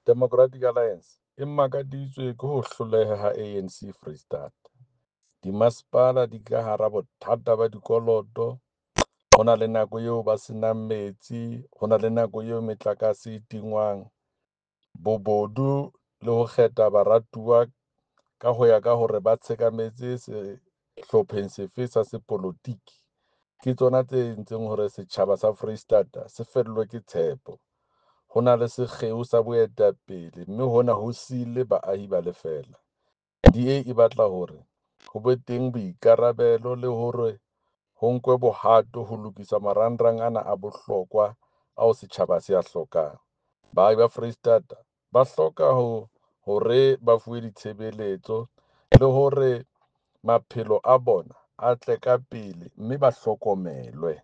Democratic Alliance e makaditswe ke ho hloleha ha ANC Freistata. Dimasepala di ka hara bothata ba dikoloto, ho na le nako eo ba se nang metsi, ho na le nako eo metlakase e tingwang. Bobodu le ho kgetha baratuwa ka ho ya ka hore ba tshekametse sehlopheng sefe sa sepolotiki, ke tsona tse entseng hore setjhaba sa Freistata se fellwe ke tshepo. Ho na le sekgeo sa boetapele mme hona ho siile baahi ba le feela. DA e batla hore ho be teng boikarabelo le hore ho nkwe bohato ho lokisa marangrang ana a bohlokwa ao setjhaba se a hlokang. Baahi ba Freistata ba hloka ho hore ba fuwe ditshebeletso le hore maphelo a bona a tle ka pele mme ba hlokomelwe.